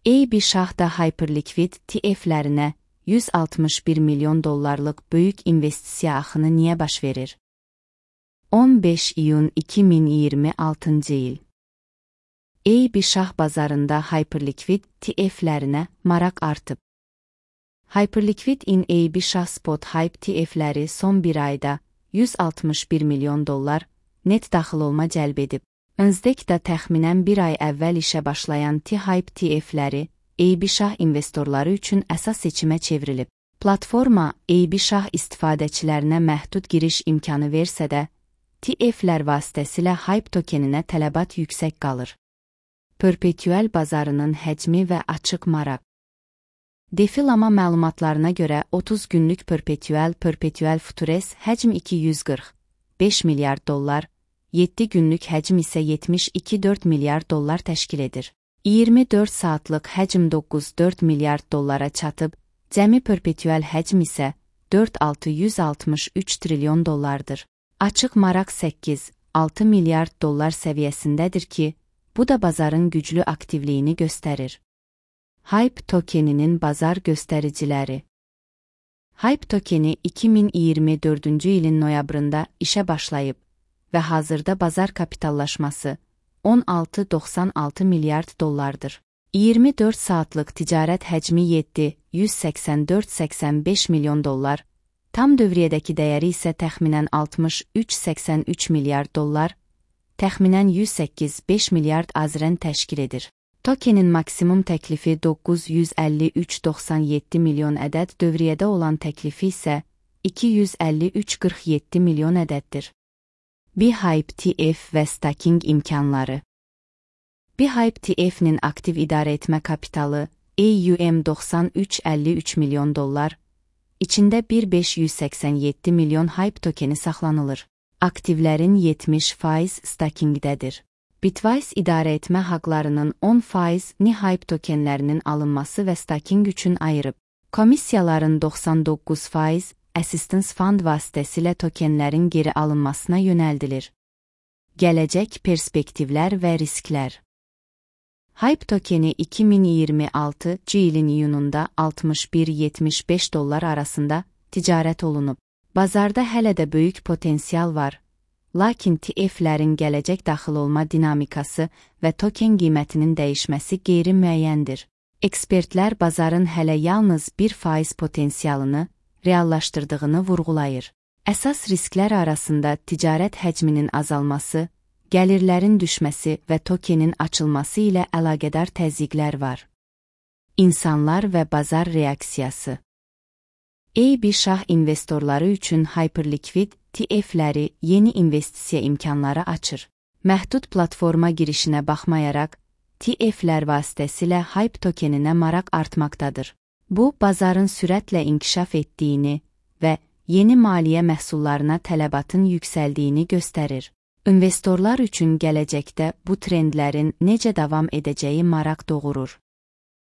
AB Şah da Hyperliquid TF-lərinə 161 milyon dollarlıq böyük investisiya axını niyə baş verir? 15 iyun 2026 il. AB Şah bazarında Hyperliquid TF-lərinə maraq artıb. Hyperliquid-in AB Şah Spot Hype TF-ləri son bir ayda 161 milyon dollar net daxil olma cəlb edib. NASDAQ-da təxminən bir ay əvvəl işə başlayan T-Hype TF-ləri AB Şah investorları üçün əsas seçimə çevrilib. Platforma AB Şah istifadəçilərinə məhdud giriş imkanı versə də, TF-lər vasitəsilə Hype tokeninə tələbat yüksək qalır. Perpetual bazarının həcmi və açıq maraq. Defilama məlumatlarına görə 30 günlük Perpetual Futures həcm 245 milyard dollar, 7 günlük həcm isə 72,4 milyard dollar təşkil edir. 24 saatlıq həcm 9,4 milyard dollara çatıb, cəmi Perpetual həcm isə 4,663 trilyon dollardır. Açıq maraq 8,6 milyard dollar səviyyəsindədir ki, bu da bazarın güclü aktivliyini göstərir. Hype tokeninin bazar göstəriciləri. Hype tokeni 2024-cü ilin noyabrında işə başlayıb və hazırda bazar kapitallaşması 16,96 milyard dollardır. 24 saatlıq ticarət həcmi 784,85 milyon dollar, tam dövriyyədəki dəyəri isə təxminən 63,83 milyard dollar, təxminən 108,5 milyard AZRN təşkil edir. Tokenin maksimum təklifi 953,97 milyon ədəd, dövriyyədə olan təklifi isə 253,47 milyon ədəddir. BHYPE TF və staking imkanları. BHYPE TF-nin aktiv idarə etmə kapitalı AUM 93,53 milyon dollar, içində 1,587 milyon Hype tokeni saxlanılır. Aktivlərin 70% stakingdədir. Bitwise idarə etmə haqlarının 10%-ni Hype tokenlərinin alınması və staking üçün ayırıb. Komissiyaların 99% Assistance Fund vasitəsilə tokenlərin geri alınmasına yönəldilir. Gələcək perspektivlər və risklər. Hype tokeni 2026-cı ilin iyununda 61-75 dollar arasında ticarət olunub. Bazarda hələ də böyük potensial var, lakin TF-lərin gələcək daxil olma dinamikası və token qiymətinin dəyişməsi qeyri-müəyyəndir. Ekspertlər bazarın hələ yalnız 1% potensialını reallaşdırdığını vurğulayır. Əsas risklər arasında ticarət həcminin azalması, gəlirlərin düşməsi və tokenin açılması ilə əlaqədar təzyiqlər var. İnsanlar və bazar reaksiyası. AB Şah investorları üçün Hyperliquid TF-ləri yeni investisiya imkanları açır. Məhdud platforma girişinə baxmayaraq, TF-lər vasitəsilə Hype tokeninə maraq artmaqdadır. Bu, bazarın sürətlə inkişaf etdiyini və yeni maliyyə məhsullarına tələbatın yüksəldiyini göstərir. İnvestorlar üçün gələcəkdə bu trendlərin necə davam edəcəyi maraq doğurur.